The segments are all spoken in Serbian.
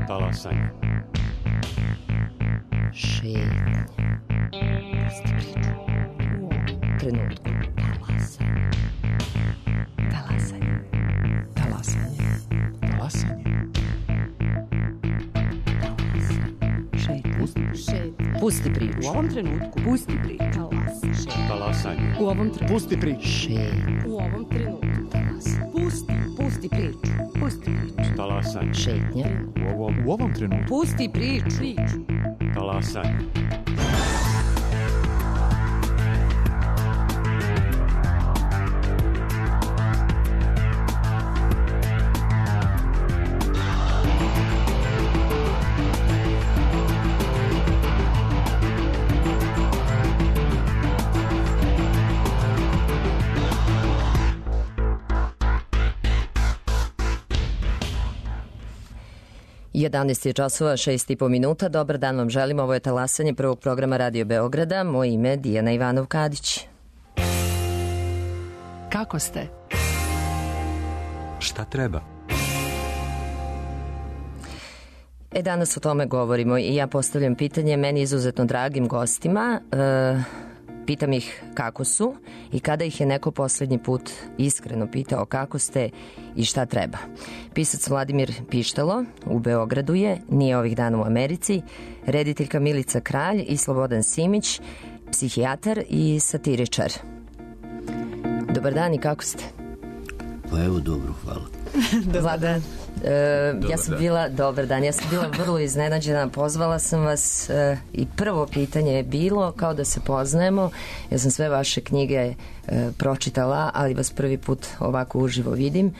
Talasanje. Šetnja. Pusti priču. U ovom trenutku. Talasanje. Talasanje. Talasanje. Pusti priču. U ovom trenutku. Pusti priču. Talasanje. U ovom trenutku. Pusti priču. Šetnja. U ovom trenutku. Pusti priču. Pusti priču. Talasanje. Šetnja. U ovom trenutku. Pusti priču. Talasanje. Jedanaest je časova, 6,5 minuta. Dobar dan vam želim. Ovo je Talasanje prvog programa Radio Beograda. Moje ime je Dijana Ivanov-Kadić. Kako ste? Šta treba? Danas o tome govorimo i ja postavljam pitanje meni izuzetno dragim gostima. Pitam ih kako su i kada ih je neko poslednji put iskreno pitao kako ste i šta treba. Pisac Vladimir Pištalo u Beogradu je, nije ovih dana u Americi, rediteljka Milica Kralj i Slobodan Simić, psihijatar i satiričar. Dobar dan i kako ste? Pa evo dobro, hvala. Dobar dan. Dobar dan, ja sam bila vrlo iznenađena, pozvala sam vas i prvo pitanje je bilo kao da se poznajemo, ja sam sve vaše knjige pročitala, ali vas prvi put ovako uživo vidim.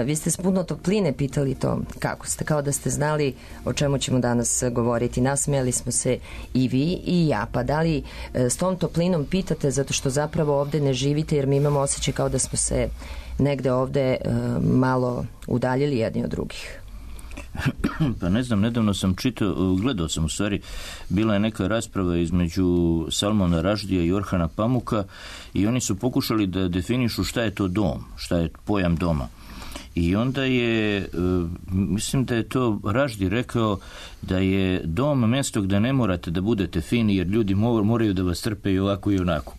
Vi ste s puno topline pitali to kako ste, kao da ste znali o čemu ćemo danas govoriti. Nasmijali smo se i vi i ja, pa da li s tom toplinom pitate zato što zapravo ovde ne živite, jer mi imamo osjećaj kao da smo se negde ovde malo udaljili jedni od drugih. Pa ne znam, nedavno sam gledao sam u stvari, bila je neka rasprava između Salmana Raždija i Orhana Pamuka i oni su pokušali da definišu šta je to dom, šta je pojam doma. I onda je, mislim da je to Raždi rekao da je dom mjesto gde ne morate da budete fini jer ljudi moraju da vas trpe i ovako i onako.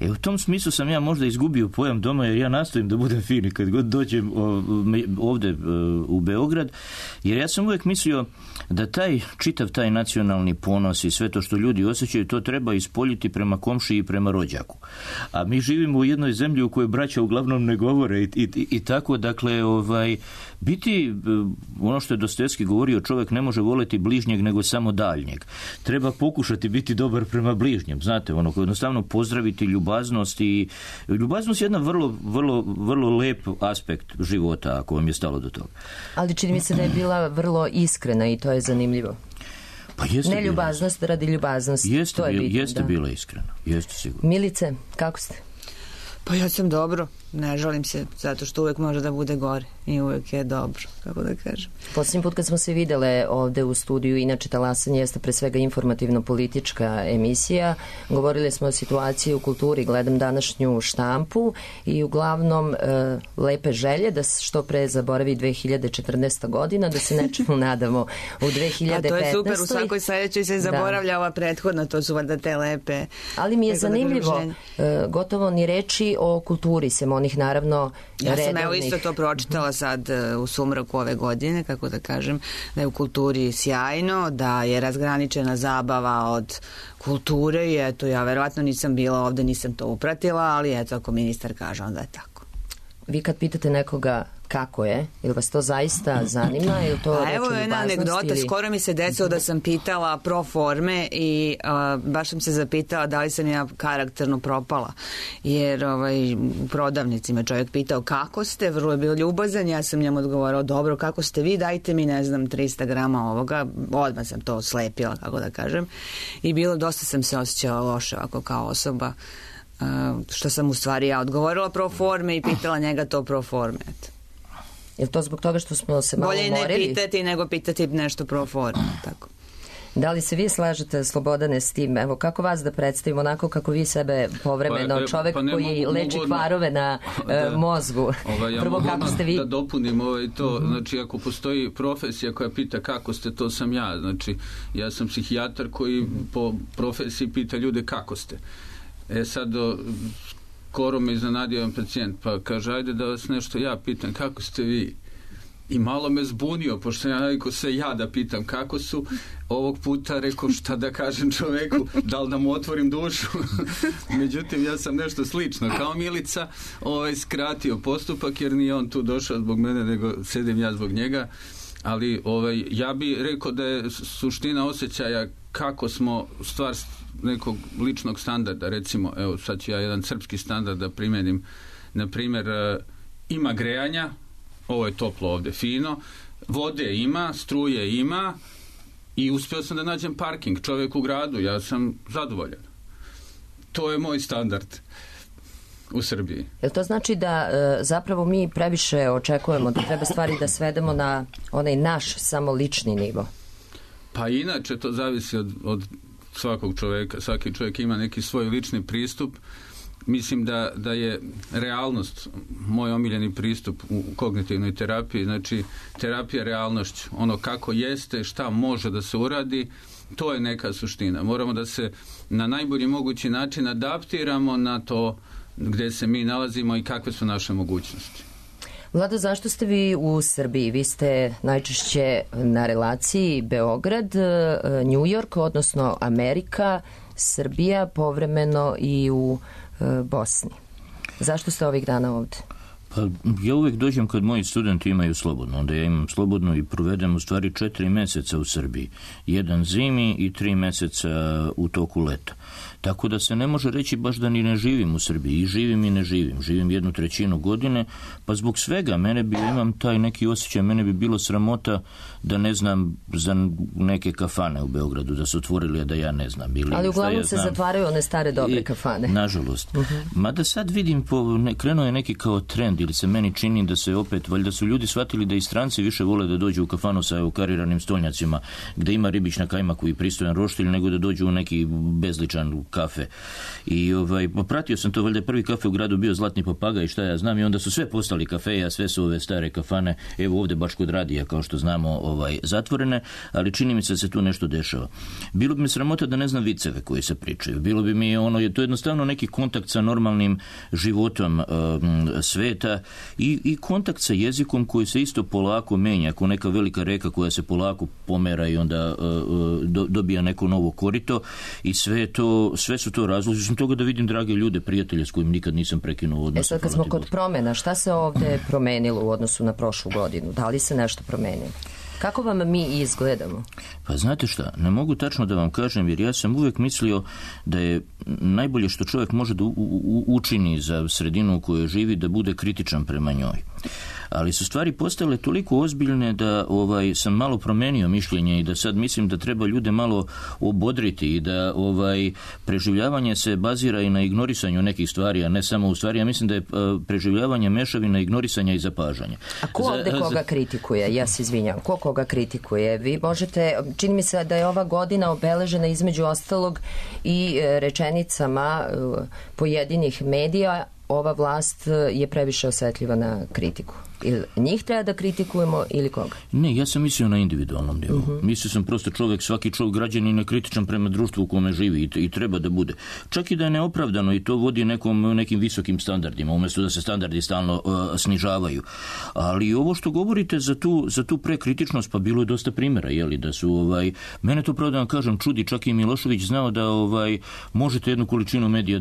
U tom smislu sam ja možda izgubio pojam doma jer ja nastojim da budem fini kad god dođem ovde u Beograd, jer ja sam uvijek mislio da čitav taj nacionalni ponos i sve to što ljudi osjećaju, to treba ispoljiti prema komšiji i prema rođaku. A mi živimo u jednoj zemlji u kojoj braća uglavnom ne govore i tako, dakle, biti, ono što je Dostojevski govorio, čovjek ne može voleti bližnjeg nego samo daljnjeg. Treba pokušati biti dobar prema bližnjem, znate, jednostavno pozdraviti ljubaznost i ljubaznost je jedan vrlo lep aspekt života ako vam je stalo do toga. Ali čini mi se da je bila vrlo iskrena i to je zanimljivo. Pa jeste ne ljubaznost radi ljubaznosti. Jeste bila iskrena, jeste sigurno. Milice, kako ste? Pa ja sam dobro, ne žalim se, zato što uvek može da bude gore i uvek je dobro, kako da kažem. Posljednji put kad smo se videle ovde u studiju, inače Talasanje jeste pre svega informativno-politička emisija, govorili smo o situaciji u kulturi, gledam današnju štampu i uglavnom lepe želje da se što pre zaboravi 2014. godina, da se nečemu nadamo u 2015. A to je super, u svakoj sledećoj se zaboravlja ova prethodna, to su valjda te lepe. Ali mi je zanimljivo, gotovo ni reči o kulturi, sem onih naravno redovnih. Ja sam evo isto to pročitala sad u sumraku ove godine, kako da kažem, da je u kulturi sjajno, da je razgraničena zabava od kulture i eto, ja verovatno nisam bila ovde, nisam to upratila, ali eto, ako ministar kaže, onda je tako. Vi kad pitate nekoga kako je, ili vas to zaista zanima ili to reče evo jedna anegdota, skoro mi se desilo da sam pitala pro forme i baš sam se zapitala da li sam ja karakterno propala, jer u prodavnici me čovjek pitao kako ste, vrlo je bio ljubazan, ja sam njemu odgovorila dobro, kako ste vi, dajte mi 300 grama ovoga, odmah sam to slepila, kako da kažem, i dosta sam se osjećala loše ovako kao osoba, što sam u stvari ja odgovorila pro forme i pitala njega to pro forme, eto. Je li to zbog toga što smo se malo umorili? Bolje ne pitati nego pitati nešto pro forme, tako. Da li se vi slažete, Slobodane, s tim? Evo, kako vas da predstavimo onako kako vi sebe povremeno, čovek koji leči kvarove na mozgu? Prvo, kako ste vi? Da dopunim to, znači ako postoji profesija koja pita kako ste, to sam ja. Znači, ja sam psihijatar koji po profesiji pita ljude kako ste. Sad, skoro me iznenadio jedan pacijent, pa kaže, ajde da vas nešto ja pitam, kako ste vi? I malo me zbunio, pošto ja navikao sve ja da pitam kako su. Ovog puta rekao šta da kažem čoveku, da li da mu otvorim dušu. Međutim, ja sam nešto slično kao Milica skratio postupak, jer nije on tu došao zbog mene, nego sedim ja zbog njega. Ali ja bih rekao da je suština osjećaja kako smo stvar nekog ličnog standarda, recimo, evo sad ću ja jedan srpski standard da primenim, na primjer, ima grejanja, ovo je toplo ovde, fino, vode ima, struje ima i uspio sam da nađem parking, čovjek u gradu, ja sam zadovoljan. To je moj standard u Srbiji. Jel to znači da zapravo mi previše očekujemo da treba stvari da svedemo na onaj naš samo lični nivo? Pa inače to zavisi od svakog čovjeka. Svaki čovjek ima neki svoj lični pristup. Mislim da je realnost moj omiljeni pristup u kognitivnoj terapiji, znači terapija realnošću, ono kako jeste, šta može da se uradi, to je neka suština. Moramo da se na najbolji mogući način adaptiramo na to gdje se mi nalazimo i kakve su naše mogućnosti. Vlado, zašto ste vi u Srbiji? Vi ste najčešće na relaciji Beograd, New York, odnosno Amerika, Srbija, povremeno i u Bosni. Zašto ste ovih dana ovdje? Pa ja uvijek dođem kad moji studenti imaju slobodno, onda ja imam slobodno i provedem u stvari 4 mjeseca u Srbiji. 1 zimi i 3 mjeseca u toku leta. Tako da se ne može reći baš da ni ne živim u Srbiji. I živim i ne živim. Živim 1/3 godine, pa zbog svega imam taj neki osjećaj, mene bi bilo sramota da ne znam za neke kafane u Beogradu, da su otvorili, a da ja ne znam. Ali uglavnom se zatvaraju one stare dobre kafane. Nažalost. Mada sad vidim, krenuo je neki kao trend, ili se meni čini da se opet, valjda su ljudi shvatili da i stranci više vole da dođu u kafanu sa kariranim stolnjacima, gde ima ribić na kajmaku i pristojan roštilj, nego da dođu u neki bezličan kafe. I pratio sam to, valjda je prvi kafe u gradu bio Zlatni papagaj, šta ja znam, i onda su sve postali kafeje, a sve su ove stare kafane, evo ovdje baš kod radija, kao što znamo, zatvorene, ali čini mi se da se tu nešto dešava. Bilo bi mi sramota da ne znam viceve koji se pričaju. Bilo bi mi to je jednostavno neki kontakt sa normalnim životom sveta i kontakt sa jezikom koji se isto polako menja, ako neka velika reka koja se polako pomera i onda dobija neko novo korito, i sve su to razlozi. Sam toga da vidim drage ljude, prijatelje s kojim nikad nisam prekinuo odnos. Sad kad smo kod promjena, šta se ovdje promenilo u odnosu na prošlu godinu? Da li se nešto promenilo? Kako vam mi izgledamo? Pa znate šta, ne mogu tačno da vam kažem, jer ja sam uvijek mislio da je najbolje što čovjek može da učini za sredinu u kojoj živi, da bude kritičan prema njoj. Ali su stvari postale toliko ozbiljne da sam malo promenio mišljenje i da sad mislim da treba ljude malo obodriti i da preživljavanje se bazira i na ignorisanju nekih stvari, a ne samo u stvari. Ja mislim da je preživljavanje mešavina ignorisanja i zapažanja. A ko ovdje koga kritikuje? Ja se izvinjam. Ko koga kritikuje? Vi možete, čini mi se da je ova godina obeležena između ostalog i rečenicama pojedinih medija, ova vlast je previše osjetljiva na kritiku. Ili njih treba da kritikujemo ili koga? Ne, ja sam mislio na individualnom nivou. Mislio sam prosto svaki čovjek građanin je kritičan prema društvu u kome živi i treba da bude. Čak i da je neopravdano i to vodi nekim visokim standardima, umjesto da se standardi stalno snižavaju. Ali ovo što govorite za tu prekritičnost, pa bilo je dosta primjera, da su, mene to pravo da vam kažem, čudi, čak i Milošević znao da možete jednu količinu medija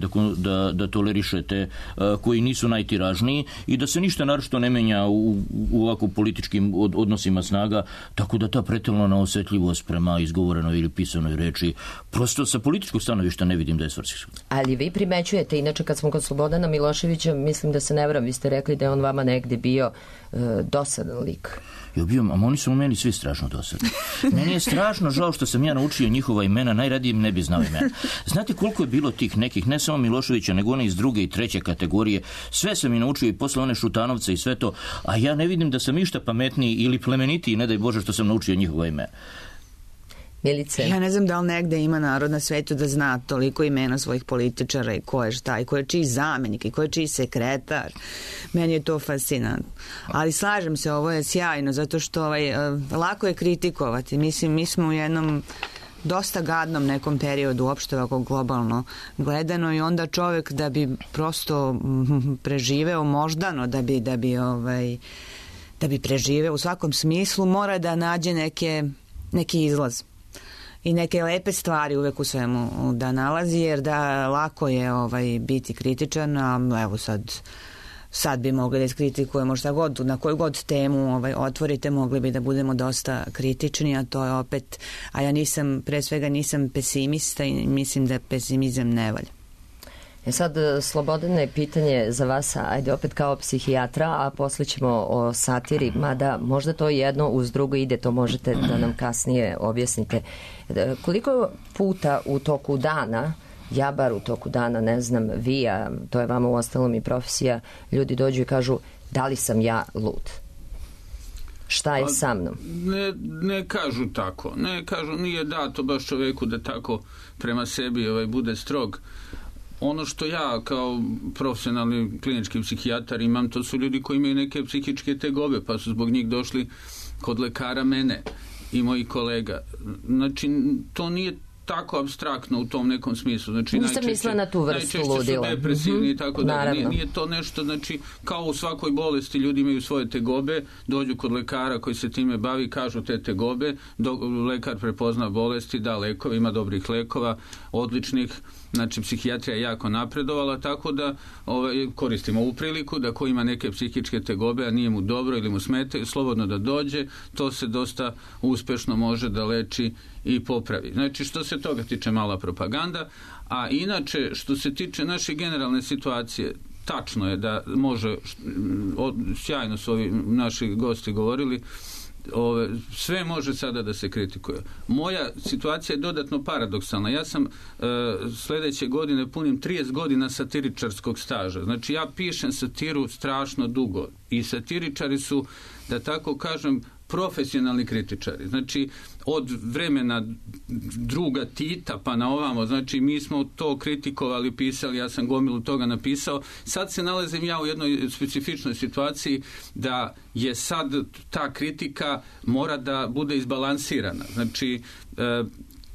da tolerišete koji nisu najtiražniji i da se ništa naročito ne menja u ovako političkim odnosima snaga, tako da ta pretjerana osjetljivost prema izgovorenoj ili pisanoj reči, prosto sa političkog stanovišta ne vidim da je svrsishodna. Ali vi primećujete, inače kad smo kod Slobodana Miloševića, mislim da se ne varam, vi ste rekli da je on vama negdje bio dosadan lik. Ja bio, a oni su u meni svi strašno dosadni. Meni je strašno žao što sam ja naučio njihova imena, najradije ne bi znao imena. Znate koliko je bilo tih nekih, ne samo Miloševića, nego one iz 2. i 3. kategorije, sve sam i naučio i posle one Šutanovce i sve to, a ja ne vidim da sam išta pametniji ili plemenitiji, ne daj Bože što sam naučio njihova imena. Milice? Ja ne znam da li negde ima narod na svetu da zna toliko imena svojih političara i ko je šta i ko je čiji zamenik i ko je čiji sekretar. Meni je to fascinantno. Ali slažem se, ovo je sjajno zato što lako je kritikovati. Mislim, mi smo u jednom dosta gadnom nekom periodu uopšte ovako globalno gledano i onda čovjek da bi prosto preživeo moždano, da bi preživeo u svakom smislu mora da nađe neki izlaz i neke lepe stvari uvek u svemu da nalazi, jer da lako je biti kritičan, a evo sad bi mogli da iskritikujemo šta god, na koju god temu otvorite, mogli bi da budemo dosta kritični, a to je opet, a ja pre svega nisam pesimista i mislim da pesimizam ne valja. Sad, Slobodane, pitanje za vas, ajde opet kao psihijatra, a posle ćemo o satiri, mada možda to jedno uz drugo ide, to možete da nam kasnije objasnite. Koliko puta u toku dana, ja bar u toku dana, ne znam, vi, a to je vama u ostalom i profesija, ljudi dođu i kažu da li sam ja lud? Šta je sa mnom? Ne kažu tako. Ne kažu, nije dato baš čoveku da tako prema sebi bude strog. Ono što ja kao profesionalni klinički psihijatar imam, to su ljudi koji imaju neke psihičke tegobe, pa su zbog njih došli kod lekara mene i mojih kolega. Znači, to nije tako apstraktno u tom nekom smislu. Znači, nisam mislila na tu vrstu ludila. Najčešće su depresivni i tako da. Nije to nešto, znači, kao u svakoj bolesti ljudi imaju svoje tegobe, dođu kod lekara koji se time bavi, kažu te tegobe, lekar prepozna bolesti, da lekove, ima dobrih lekova, odličnih, znači psihijatrija je jako napredovala, tako da koristimo ovu priliku da ko ima neke psihičke tegobe, a nije mu dobro ili mu smete, slobodno da dođe, to se dosta uspešno može da leči i popravi. Znači, što se toga tiče, mala propaganda, a inače, što se tiče naše generalne situacije, tačno je da može, sjajno su ovi naši gosti govorili, sve može sada da se kritikuje. Moja situacija je dodatno paradoksalna. Ja sam sledeće godine punim 30 godina satiričarskog staža. Znači, ja pišem satiru strašno dugo i satiričari su, da tako kažem, profesionalni kritičari. Znači, od vremena druga Tita pa na ovamo, znači mi smo to kritikovali, pisali, ja sam gomilu toga napisao. Sad se nalazim ja u jednoj specifičnoj situaciji da je sad ta kritika mora da bude izbalansirana. Znači,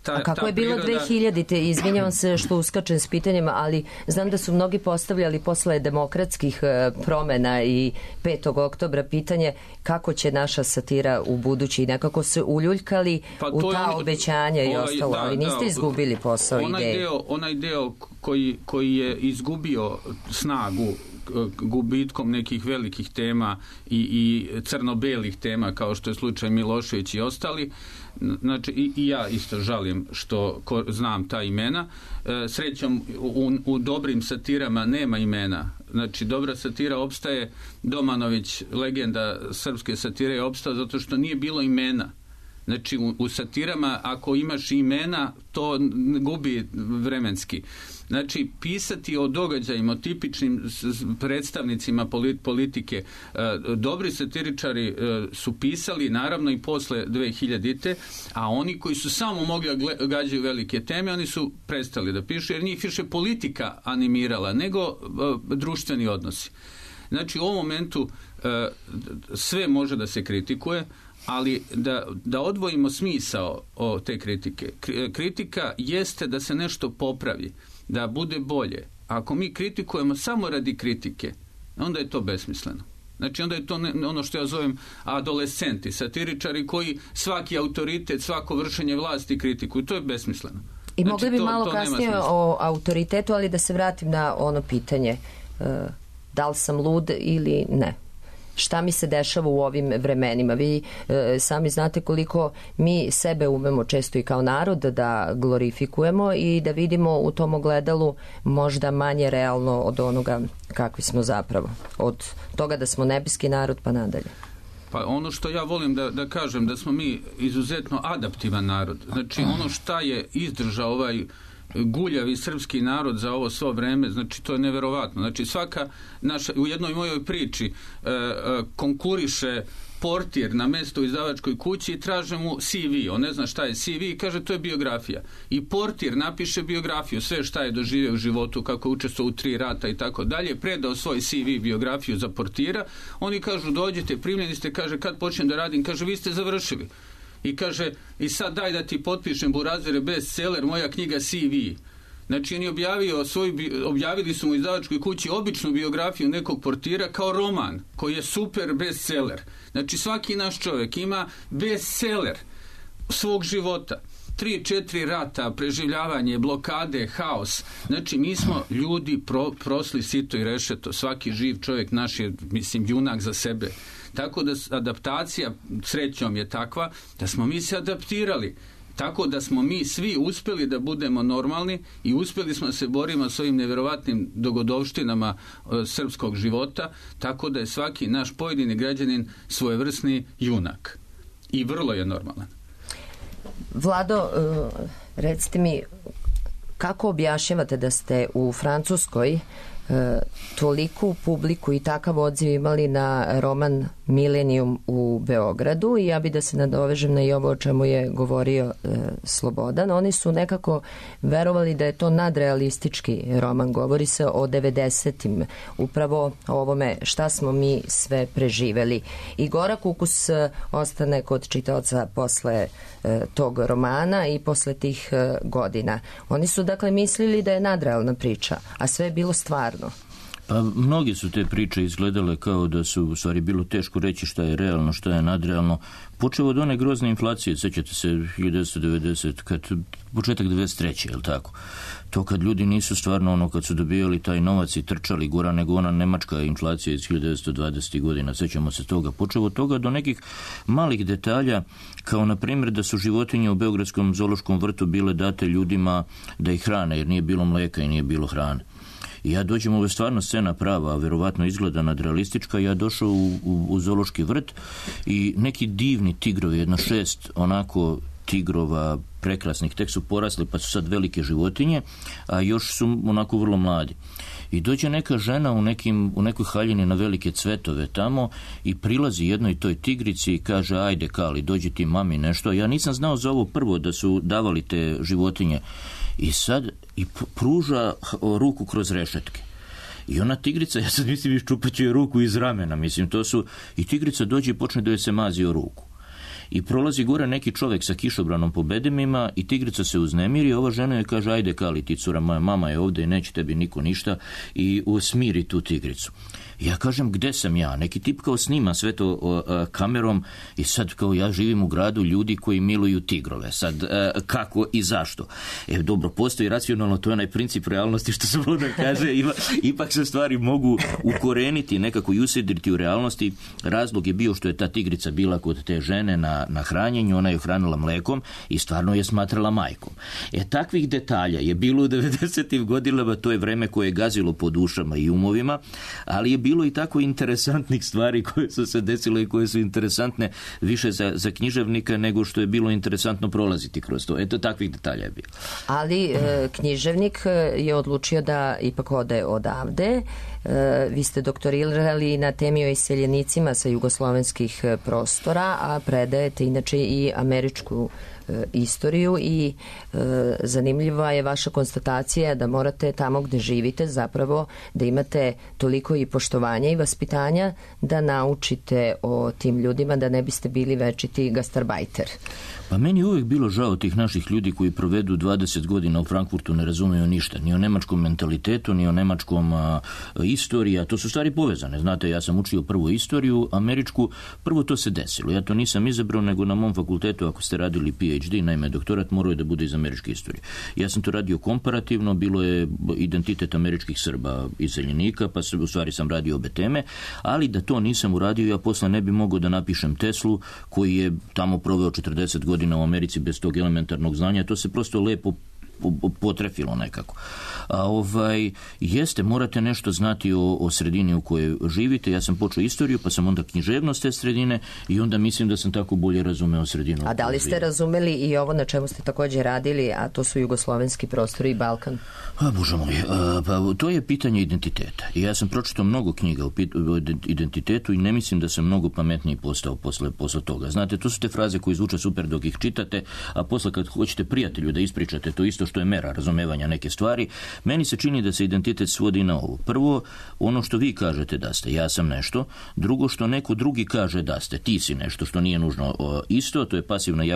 a kako je bilo 2000-te, izvinjavam se što uskačem s pitanjima, ali znam da su mnogi postavljali posle demokratskih promena i 5. oktobra pitanje kako će naša satira u budući i nekako se uljuljkali u ta obećanja i ostalo, ali niste izgubili posao ideje. Onaj deo koji je izgubio snagu gubitkom nekih velikih tema i crno-belih tema kao što je slučaj Milošević i ostali, znači i ja isto žalim što znam ta imena. Srećom u dobrim satirama nema imena. Znači, dobra satira opstaje, Domanović, legenda srpske satire, je opstao zato što nije bilo imena. Znači, u satirama ako imaš imena, to gubi vremenski. Znači, pisati o događajima, o tipičnim predstavnicima politike, dobri satiričari su pisali, naravno i posle 2000-te, a oni koji su samo mogli gađaju velike teme, oni su prestali da pišu, jer njih više politika animirala, nego društveni odnosi. Znači, u ovom momentu sve može da se kritikuje, ali da odvojimo smisao o te kritike. Kritika jeste da se nešto popravi, da bude bolje. Ako mi kritikujemo samo radi kritike, onda je to besmisleno. Znači, onda je to ono što ja zovem adolescenti, satiričari koji svaki autoritet, svako vršenje vlasti kritikuju. To je besmisleno. I znači, mogli bi malo kasnije o autoritetu, ali da se vratim na ono pitanje, da li sam lud ili ne? Šta mi se dešava u ovim vremenima? Vi sami znate koliko mi sebe umemo često i kao narod da glorifikujemo i da vidimo u tom ogledalu možda manje realno od onoga kakvi smo zapravo. Od toga da smo nebeski narod pa nadalje. Pa ono što ja volim da kažem, da smo mi izuzetno adaptivan narod. Znači, ono šta je izdržao ovaj guljavi srpski narod za ovo svo vreme, znači to je neverovatno. Znači svaka naša, u jednoj mojoj priči konkuriše portir na mesto u izdavačkoj kući i traže mu CV, on ne zna šta je CV i kaže to je biografija. I portir napiše biografiju, sve šta je doživio u životu, kako je učestvovao u 3 rata i tako dalje, predao svoj CV biografiju za portira, oni kažu dođete, primljeni ste, kaže kad počnem da radim, kaže vi ste završili. I kaže, i sad daj da ti potpišem Burazere bestseller, moja knjiga CV. Znači, on je objavili su mu u izdavačkoj kući običnu biografiju nekog portira kao roman, koji je super bestseller. Znači, svaki naš čovjek ima bestseller svog života. 3-4 rata, preživljavanje, blokade, haos. Znači, mi smo ljudi prosli sito i rešeto. Svaki živ čovjek naš je, mislim, junak za sebe. Tako da adaptacija srećom je takva da smo mi se adaptirali. Tako da smo mi svi uspjeli da budemo normalni i uspjeli smo da se borimo s ovim nevjerovatnim dogodovštinama srpskog života, tako da je svaki naš pojedini građanin svojevrsni junak. I vrlo je normalan. Vlado, recite mi, kako objašnjavate da ste u Francuskoj toliku publiku i takav odziv imali na roman Milenijum u Beogradu, i ja bi da se nadovežem na i ovo o čemu je govorio Slobodan. Oni su nekako verovali da je to nadrealistički roman, govori se o 90-im, upravo o ovome šta smo mi sve preživeli. I gorak ukus ostane kod čitaoca posle tog romana i posle tih godina. Oni su dakle mislili da je nadrealna priča, a sve je bilo stvarno. Pa mnogi su te priče izgledale kao da su u stvari bilo teško reći šta je realno, šta je nadrealno. Počeo od one grozne inflacije, sećate se 1990, početak 93. je li tako? To kad ljudi nisu stvarno ono kad su dobijali taj novac i trčali gora nego ona nemačka inflacija iz 1920. godina, sećamo se toga. Počeo od toga do nekih malih detalja, kao na primjer da su životinje u Beogradskom zoološkom vrtu bile date ljudima da ih hrane, jer nije bilo mlijeka i nije bilo hrane. I ja dođem, ovo je stvarno scena prava, a verovatno izgleda nadrealistička, ja došao u zoološki vrt i neki divni tigrovi, jedno 6 onako tigrova prekrasnih, tek su porasli pa su sad velike životinje, a još su onako vrlo mladi. I dođe neka žena u nekoj haljini na velike cvetove tamo i prilazi jednoj toj tigrici i kaže ajde Kali, dođi ti mami nešto. Ja nisam znao za ovo prvo da su davali te životinje. I sad i pruža ruku kroz rešetke. I ona tigrica, ja sad mislim iščupaću je ruku iz ramena, mislim to su, i tigrica dođe i počne da joj se mazi o ruku. I prolazi gore neki čovjek sa kišobranom po bedemima i tigrica se uznemiri, ova žena joj kaže ajde Kali ti cura, moja mama je ovdje i neće tebi niko ništa, i smiri tu tigricu. Ja kažem gde sam ja, neki tip kao snima sve to kamerom i sad kao ja živim u gradu ljudi koji miluju tigrove, sad kako i zašto. Dobro, postoji racionalno, to je onaj princip realnosti što se voda kaže, ipak se stvari mogu ukoreniti, nekako i usedriti u realnosti. Razlog je bio što je ta tigrica bila kod te žene na hranjenju, ona je hranila mlekom i stvarno je smatrala majkom. Takvih detalja je bilo u 90. godinama, to je vreme koje je gazilo po dušama i umovima, ali je bilo i tako interesantnih stvari koje su se desile i koje su interesantne više za književnika nego što je bilo interesantno prolaziti kroz to. Eto, takvih detalja je bilo. Ali književnik je odlučio da ipak ode odavde. Vi ste doktorirali na temi o iseljenicima sa jugoslovenskih prostora, a predajete inače i američku istoriju i zanimljiva je vaša konstatacija da morate tamo gde živite zapravo da imate toliko i poštovanja i vaspitanja da naučite o tim ljudima, da ne biste bili večiti gastarbajter. Pa meni je uvijek bilo žao tih naših ljudi koji provedu 20 godina u Frankfurtu, ne razumiju ništa, ni o nemačkom mentalitetu, ni o nemačkom istoriji, a to su stvari povezane. Znate, ja sam učio prvo istoriju, američku, prvo to se desilo. Ja to nisam izabrao, nego na mom fakultetu, ako ste radili PhD, naime doktorat, morao je da bude iz američke istorije. Ja sam to radio komparativno, bilo je identitet američkih Srba iseljenika, pa u stvari sam radio obe teme, ali da to nisam uradio, ja posle ne bi mogao da napišem Teslu, koji je tamo proveo 40 godina u Americi bez tog elementarnog znanja. To se prosto lepo potrefilo nekako. A jeste, morate nešto znati o sredini u kojoj živite. Ja sam počeo istoriju, pa sam onda književnost te sredine i onda mislim da sam tako bolje razumeo sredinu. A da li ste razumeli i ovo na čemu ste također radili, a to su jugoslovenski prostori i Balkan? Bože moj, pa to je pitanje identiteta. I ja sam pročitao mnogo knjiga o identitetu i ne mislim da sam mnogo pametniji postao posle toga. Znate, to su te fraze koje zvuče super dok ih čitate, a posle kad hoćete prijatelju da ispričate to isto što je mera razumevanja neke stvari, meni se čini da se identitet svodi na ovo. Prvo, ono što vi kažete da ste, ja sam nešto. Drugo, što neko drugi kaže da ste, ti si nešto, što nije nužno isto, to je pasivna i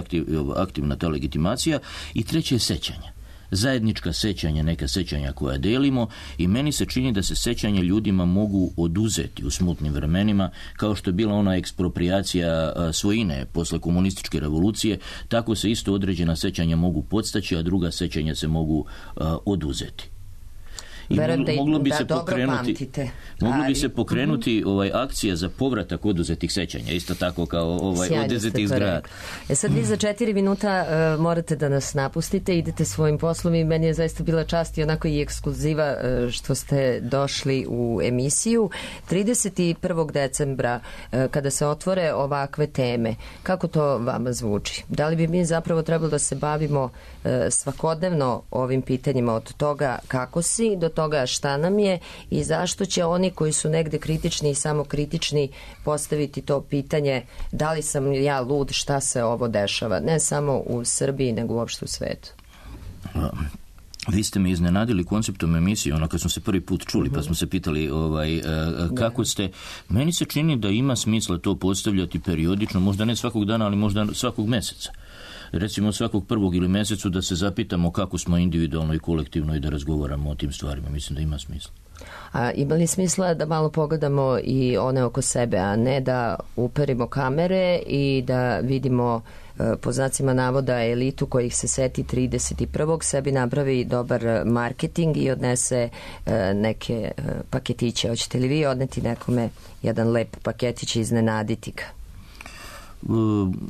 aktivna ta legitimacija. I treće je sećanje. Zajednička sećanja, neka sećanja koja delimo i meni se čini da se sećanja ljudima mogu oduzeti u smutnim vremenima, kao što je bila ona eksproprijacija svojine posle komunističke revolucije, tako se isto određena sećanja mogu podstaći, a druga sećanja se mogu oduzeti. I moglo bi se pokrenuti akcija za povratak oduzetih sećanja, isto tako kao oduzetih zgrada. Sad vi za 4 minuta morate da nas napustite, idete svojim poslom i meni je zaista bila čast i onako i ekskluziva što ste došli u emisiju. 31. decembra kada se otvore ovakve teme, kako to vama zvuči? Da li bi mi zapravo trebalo da se bavimo svakodnevno ovim pitanjima, od toga kako si do toga šta nam je i zašto će oni koji su negde kritični i samokritični postaviti to pitanje da li sam ja lud, šta se ovo dešava, ne samo u Srbiji nego uopšte u svetu. Vi ste me iznenadili konceptom emisije, ono kad smo se prvi put čuli, pa smo se pitali kako ste. Meni se čini da ima smisla to postavljati periodično, možda ne svakog dana, ali možda svakog meseca. Recimo svakog prvog ili mesecu da se zapitamo kako smo individualno i kolektivno i da razgovaramo o tim stvarima. Mislim da ima smisla. A ima li smisla da malo pogledamo i one oko sebe, a ne da uperimo kamere i da vidimo po znacima navoda elitu kojih se seti 31. sebi napravi dobar marketing i odnese neke paketiće. Hoćete li vi odneti nekome jedan lep paketić i iznenaditi ga?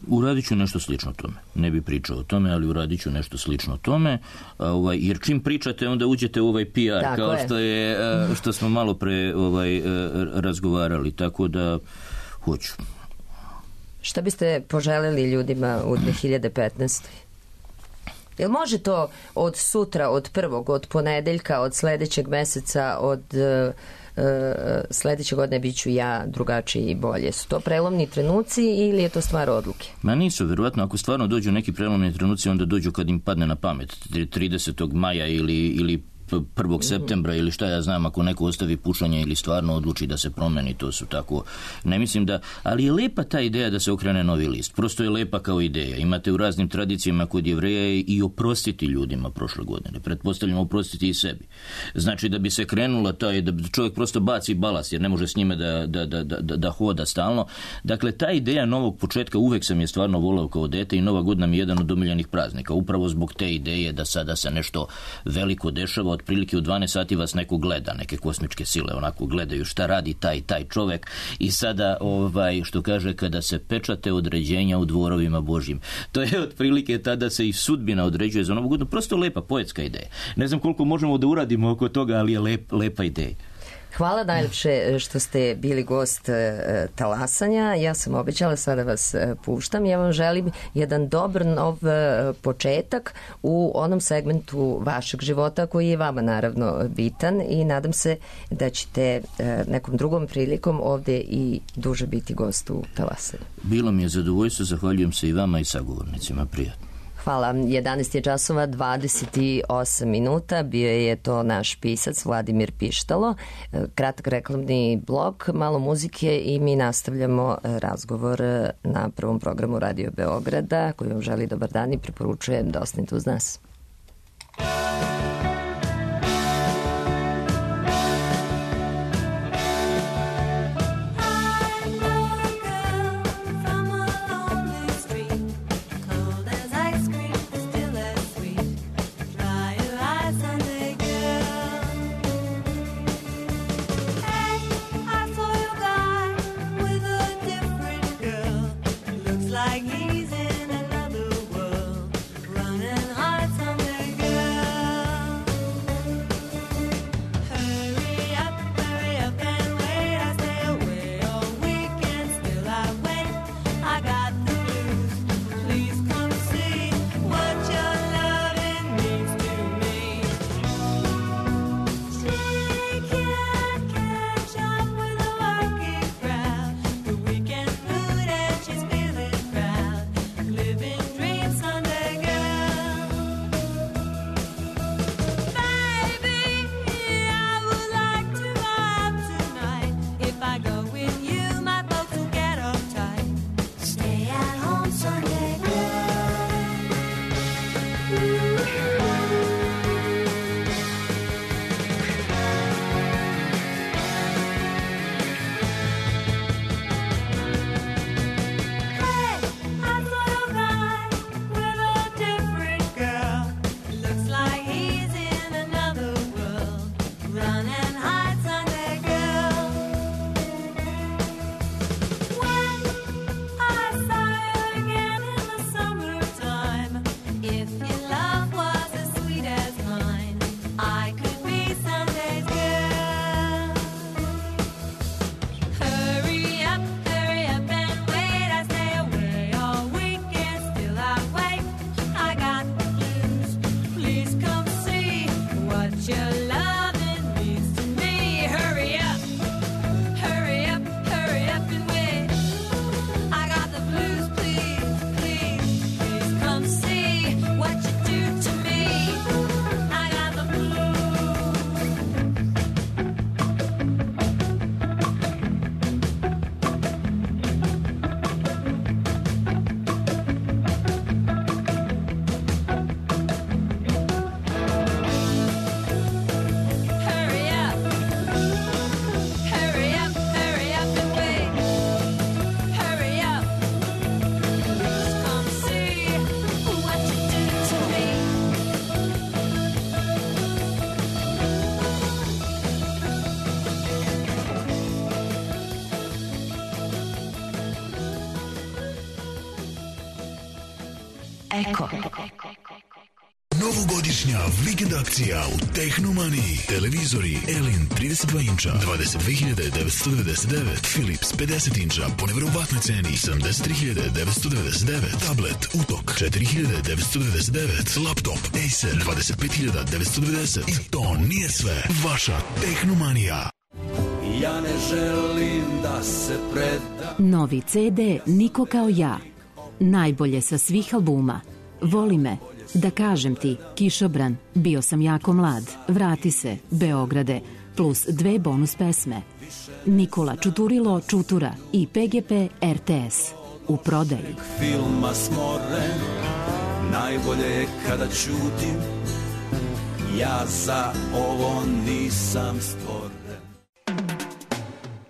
Uradit ću nešto slično tome. Ne bi pričao o tome, ali uradit ću nešto slično tome, jer čim pričate onda uđete u ovaj PR, tako kao što smo malo pre razgovarali, tako da hoću. Šta biste poželjeli ljudima u 2015. Jel može to od sutra, od prvog, od ponedeljka, od sledećeg meseca, od sledeće godine bit ću ja drugačiji i bolje? Su to prelomni trenuci ili je to stvar odluke? Ma nisu, verovatno ako stvarno dođu neki prelomni trenuci, onda dođu kad im padne na pamet 30. maja ili 1. septembra ili šta ja znam, ako neko ostavi pušanje ili stvarno odluči da se promeni, to su tako, ne mislim da, ali je lepa ta ideja da se okrene novi list, prosto je lepa kao ideja. Imate u raznim tradicijama kod Jevreja i oprostiti ljudima prošle godine, pretpostavljamo oprostiti i sebi. Znači da bi se krenulo to, da čovjek prosto baci balast jer ne može s njime da hoda stalno. Dakle, ta ideja novog početka uvek sam je stvarno volao kao dete i Nova godina mi je jedan od omiljenih praznika, upravo zbog te ideje da sada se nešto veliko dešava. Otprilike u 12 sati vas neko gleda, neke kosmičke sile onako gledaju šta radi taj čovek i sada što kaže kada se pečate određenja u dvorovima Božjim. To je otprilike tada se i sudbina određuje za Novu godinu. Prosto lepa poetska ideja. Ne znam koliko možemo da uradimo oko toga, ali je lepa ideja. Hvala najlepše što ste bili gost Talasanja. Ja sam obećala, sada vas puštam. Ja vam želim jedan dobar nov početak u onom segmentu vašeg života koji je vama naravno bitan i nadam se da ćete nekom drugom prilikom ovdje i duže biti gost u Talasanju. Bilo mi je zadovoljstvo, zahvaljujem se i vama i sagovornicima. Prijatno. Hvala. 11 je časova, 28 minuta. Bio je to naš pisac Vladimir Pištalo. Kratak reklamni blok, malo muzike i mi nastavljamo razgovor na prvom programu Radio Beograda koji vam želi dobar dan i preporučujem da ostanete uz nas. Like he's in another world, running hearts Eko. Novogodišnja vikend akcija u Tehnomaniji. Televizori Elin 32 inča 22.999, Philips 50 inča po nevjerovatnoj ceni 73.999, tablet Utok 4.999, laptop Acer 25.990. I to nije sve. Vaša Tehnomanija. Ja ne želim da se preda. Novi CD Niko kao ja. Najbolje sa svih albuma. Voli me. Da kažem ti, Kišobran, Bio sam jako mlad, Vrati se, Beograde, plus 2 bonus pesme. Nikola Čuturilo Čutura i PGP RTS. U prodaji. Filma smoren, najbolje je kada ćutim. Ja za ovo nisam stvoren.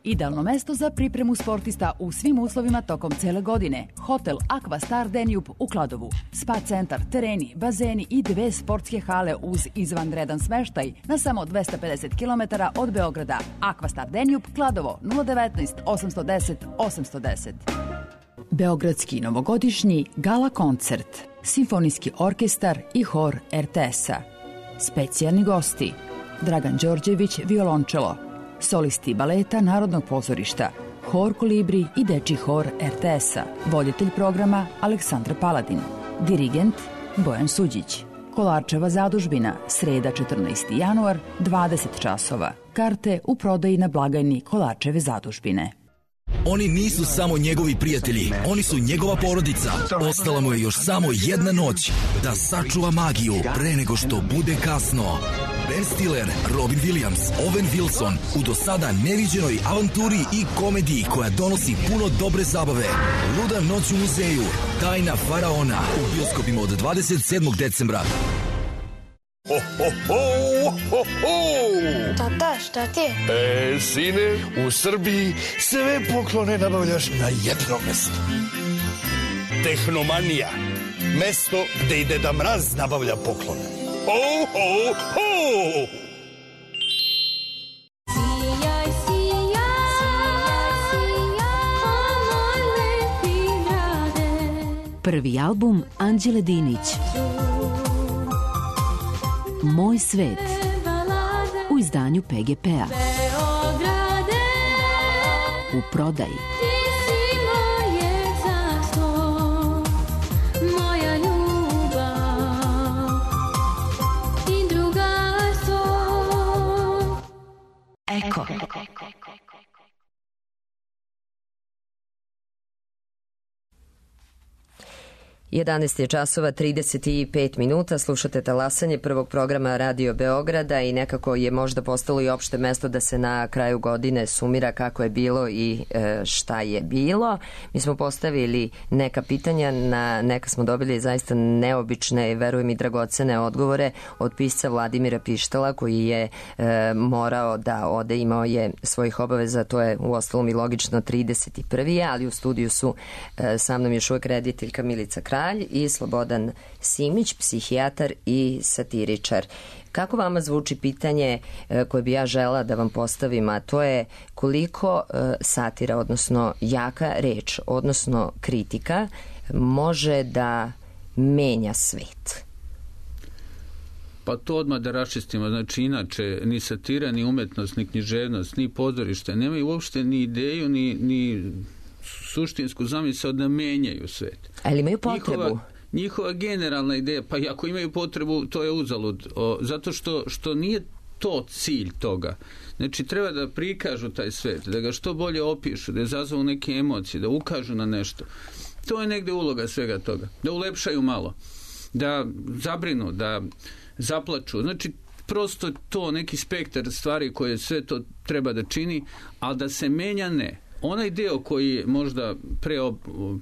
Idealno mesto za pripremu sportista u svim uslovima tokom cele godine. Hotel Aqua Star Danube u Kladovu. Spa centar, tereni, bazeni i 2 sportske hale uz izvanredan smeštaj na samo 250 km od Beograda. Aqua Star Danube, Kladovo, 019 810 810. Beogradski novogodišnji gala koncert. Simfonijski orkestar i hor RTS-a. Specijalni gosti. Dragan Đorđević, violončelo. Solisti baleta Narodnog pozorišta, hor Kolibri i dečji hor RTS-a, voditelj programa Aleksandra Paladin, dirigent Bojan Suđić. Kolarčeva zadužbina, sreda 14. januar, 20 časova. Karte u prodaji na blagajni Kolarčeve zadužbine. Oni nisu samo njegovi prijatelji, oni su njegova porodica. Ostala mu je još samo jedna noć da sačuva magiju pre nego što bude kasno. Ben Stiller, Robin Williams, Owen Wilson u do sada neviđenoj avanturi i komediji koja donosi puno dobre zabave. Luda noć u muzeju, Tajna faraona u bioskopima od 27. decembra. Ho, ho, ho, ho, ho. Tata, šta ti je? Sine, u Srbiji sve poklone nabavljaš na jednom mestu. Tehnomanija. Mesto gde i Deda Mraz nabavlja poklone. Ho, ho, ho. Sijaj, moj lepi grade. Prvi album Anđele Dinić. Moj svet. U izdanju PGP-a. U prodaji. Eko. 11 je časova 35 minuta, slušate talasanje prvog programa Radio Beograda i nekako je možda postalo i opšte mesto da se na kraju godine sumira kako je bilo i šta je bilo. Mi smo postavili neka pitanja, na neka smo dobili zaista neobične i verujem i dragocene odgovore od pisca Vladimira Pištala koji je morao da ode, imao je svojih obaveza, to je uostalom i logično 31. ali u studiju su sa mnom još uvek rediteljka Milica Kralj i Slobodan Simić, psihijatar i satiričar. Kako vama zvuči pitanje koje bi ja žela da vam postavim, a to je koliko satira, odnosno jaka reč, odnosno kritika, može da menja svet? Pa to odmah da raščistimo. Znači, inače, ni satira, ni umetnost, ni književnost, ni pozorište nemaju uopšte ni ideju, ni suštinsku zamisao da menjaju svet. Ali imaju potrebu? Njihova generalna ideja, pa ako imaju potrebu, to je uzalud. Zato što nije to cilj toga. Znači, treba da prikažu taj svet, da ga što bolje opišu, da izazovu neke emocije, da ukažu na nešto. To je negde uloga svega toga. Da ulepšaju malo. Da zabrinu, da zaplaču. Znači, prosto to neki spektar stvari koje sve to treba da čini, ali da se menja ne. Onaj deo koji je možda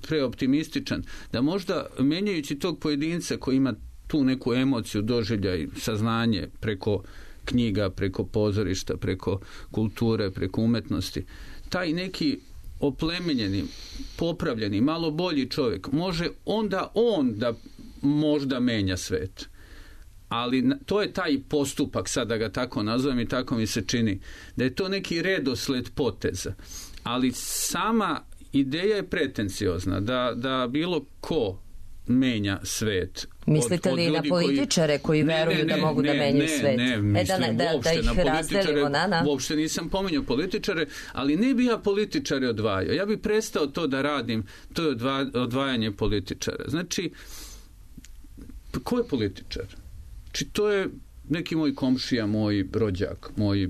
preoptimističan, da možda menjajući tog pojedinca koji ima tu neku emociju, doživljaj, saznanje preko knjiga, preko pozorišta, preko kulture, preko umetnosti, taj neki oplemenjeni, popravljeni, malo bolji čovjek, može onda on da možda menja svet. Ali to je taj postupak, sad da ga tako nazovem i tako mi se čini, da je to neki redosled poteza. Ali sama ideja je pretenciozna, da bilo ko menja svet. Mislite li na političare koji veruju da mogu da menjaju svet? Ne, mislim da ih razdelimo na. Uopšte nisam pominjao političare, ali ne bi ja političare odvajao. Ja bi prestao to da radim, to je odvajanje političara. Znači, ko je političar? Znači, to je neki moj komšija, moj rođak, moj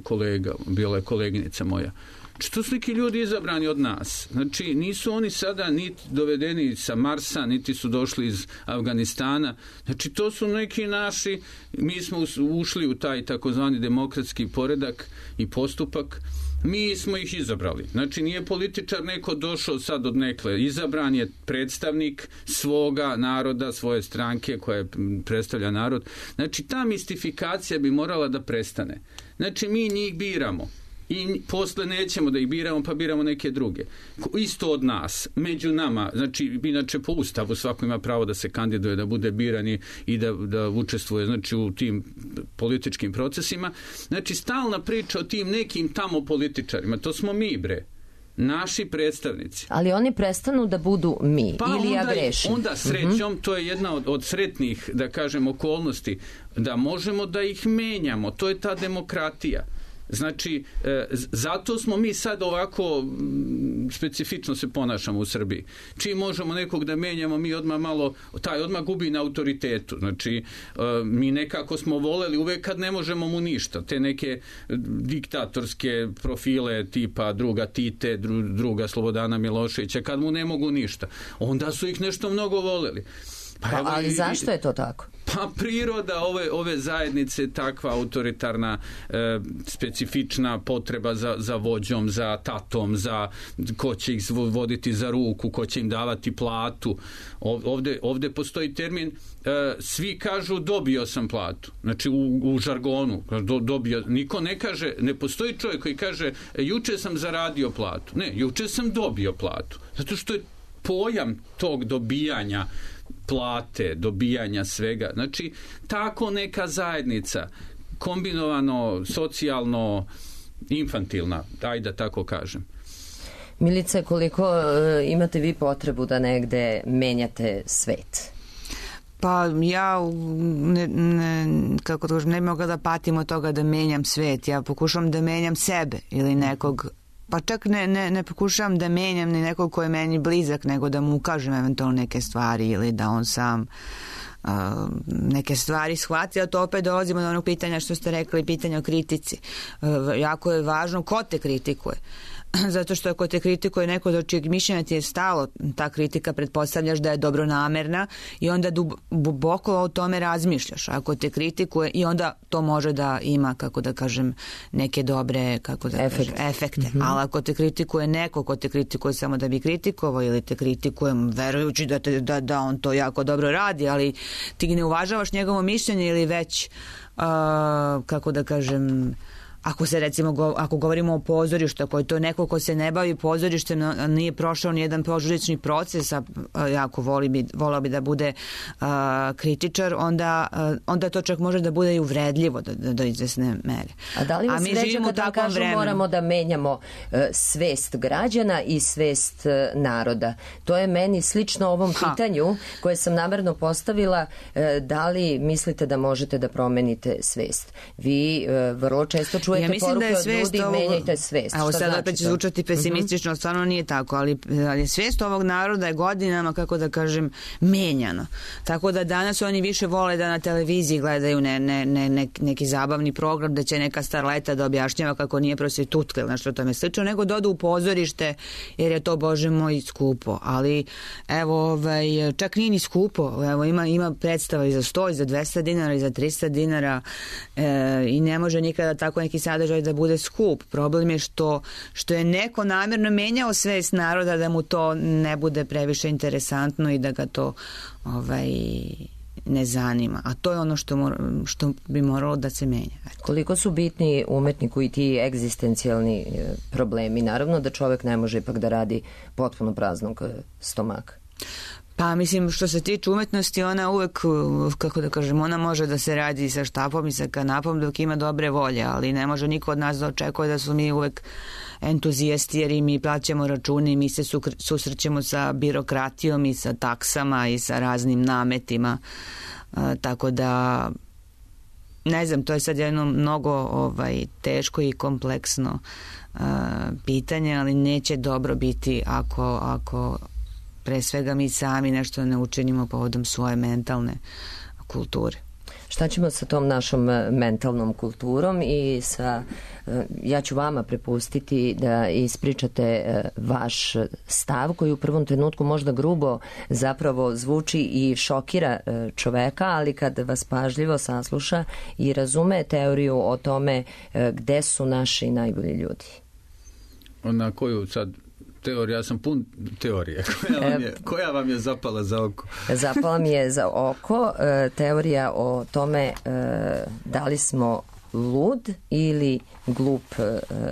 kolega, bila je koleginica moja. Znači, to su neki ljudi izabrani od nas. Znači, nisu oni sada niti dovedeni sa Marsa, niti su došli iz Afganistana. Znači, to su neki naši, mi smo ušli u taj takozvani demokratski poredak i postupak. Mi smo ih izabrali. Znači, nije političar neko došao sad od nekle. Izabran je predstavnik svoga naroda, svoje stranke koja predstavlja narod. Znači, ta mistifikacija bi morala da prestane. Znači, mi njih biramo. I posle nećemo da ih biramo, pa biramo neke druge. Isto od nas, među nama, znači, inače po Ustavu svako ima pravo da se kandiduje, da bude biran i da učestvuje, znači, u tim političkim procesima. Znači, stalna priča o tim nekim tamo političarima, to smo mi, bre. Naši predstavnici. Ali oni prestanu da budu mi, ili ja grešim? Onda srećom, to je jedna od sretnih, da kažem, okolnosti, da možemo da ih menjamo. To je ta demokratija. Znači, zato smo mi sad ovako specifično se ponašamo u Srbiji. Čim možemo nekog da menjamo, mi odmah malo, taj odmah gubi na autoritetu. Znači, mi nekako smo voleli uvek kad ne možemo mu ništa. Te neke diktatorske profile tipa druga Tite, druga Slobodana Miloševića, kad mu ne mogu ništa. Onda su ih nešto mnogo voleli. Ali zašto je to tako? Pa priroda ove zajednice, takva autoritarna, specifična potreba za vođom, za tatom, za ko će ih voditi za ruku, ko će im davati platu. Ovde postoji termin, svi kažu dobio sam platu. Znači u žargonu dobio. Niko ne kaže, ne postoji čovjek koji kaže juče sam zaradio platu. Ne, juče sam dobio platu. Zato što je pojam tog dobijanja plate, dobijanja svega. Znači, tako neka zajednica, kombinovano, socijalno, infantilna, ajde da tako kažem. Milice, koliko imate vi potrebu da negde menjate svet? Pa ja kako to kažem, ne mogu da patim od toga da menjam svet. Ja pokušam da menjam sebe ili nekog, pa čak ne pokušavam da menjam ni nekog ko je meni blizak, nego da mu ukažem eventualno neke stvari ili da on sam neke stvari shvati, a to opet dolazimo do onog pitanja što ste rekli, pitanja o kritici. Jako je važno ko te kritikuje. Zato što ako te kritikuje neko do čijeg mišljenja ti je stalo, ta kritika pretpostavljaš da je dobronamerna i onda duboko o tome razmišljaš. Ako te kritikuje i onda to može da ima, kako da kažem, neke dobre efekte. Ali ako te kritikuje neko ko te kritikuje samo da bi kritikovao ili te kritikuje verujući da on to jako dobro radi, ali ti ne uvažavaš njegovo mišljenje ili već kako da kažem, ako se recimo, ako govorimo o pozorištu, ako je to neko ko se ne bavi pozorištem, nije prošao ni jedan pozorišni proces, a jako volao bi da bude kritičar, onda to čak može da bude i uvredljivo do izvesne mere. A da li vas vređa kad vam kažu moramo da menjamo svest građana i svest naroda? To je meni slično ovom pitanju koje sam namerno postavila, da li mislite da možete da promenite svest? Vi vrlo često čujete poruke od ljudi, menjajte svest. Evo sad opet će zvučati pesimistično, stvarno nije tako, ali svest ovog naroda je godinama, kako da kažem, menjano. Tako da danas oni više vole da na televiziji gledaju neki zabavni program, da će neka starleta da objašnjava kako nije prostitutka ili nešto tome slično, nego da odu u pozorište, jer je to, Bože moj, skupo. Ali evo, čak nije ni skupo. Evo, ima predstava i za 100, i za 200 dinara, i za 300 dinara i ne može nikada tako neki sadržaj da bude skup. Problem je što je neko namjerno menjao svest naroda da mu to ne bude previše interesantno i da ga to ne zanima. A to je ono što bi moralo da se menja. Koliko su bitni umetniku i ti egzistencijalni problemi? Naravno da čovjek ne može ipak da radi potpuno praznog stomaka. Pa mislim, što se tiče umetnosti, ona uvek, kako da kažem, ona može da se radi sa štapom i sa kanapom dok ima dobre volje, ali ne može niko od nas da očekuje da su mi uvek entuzijasti, jer i mi plaćamo račune i mi se susrećemo sa birokratijom i sa taksama i sa raznim nametima, tako da ne znam, to je sad jedno mnogo teško i kompleksno pitanje, ali neće dobro biti ako pre svega mi sami nešto ne učinimo povodom svoje mentalne kulture. Šta ćemo sa tom našom mentalnom kulturom i ja ću vama prepustiti da ispričate vaš stav koji u prvom trenutku možda grubo zapravo zvuči i šokira čoveka, ali kad vas pažljivo sasluša i razume teoriju o tome gde su naši najbolji ljudi. Na koju sad teorija, ja sam pun teorije. Koja vam je zapala za oko? Zapala mi je za oko teorija o tome da li smo lud ili glup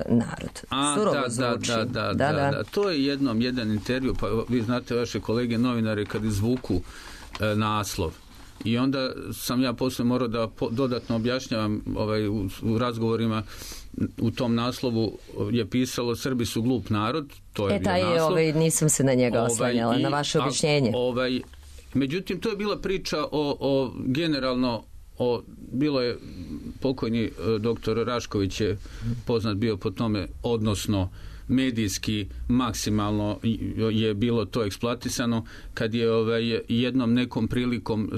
narod. Surovo zvuči. Da. To je jedan intervju, pa vi znate vaše kolege novinare kad izvuku naslov. I onda sam ja poslije morao da dodatno objašnjavam u razgovorima. U tom naslovu je pisalo Srbi su glup narod, to je bio naslov. Nisam se na njega oslanjala, na vaše objašnjenje. Međutim, to je bila priča o generalno, bilo je pokojni doktor Rašković je poznat bio po tome, odnosno medijski maksimalno je bilo to eksploatisano kad je jednom nekom prilikom,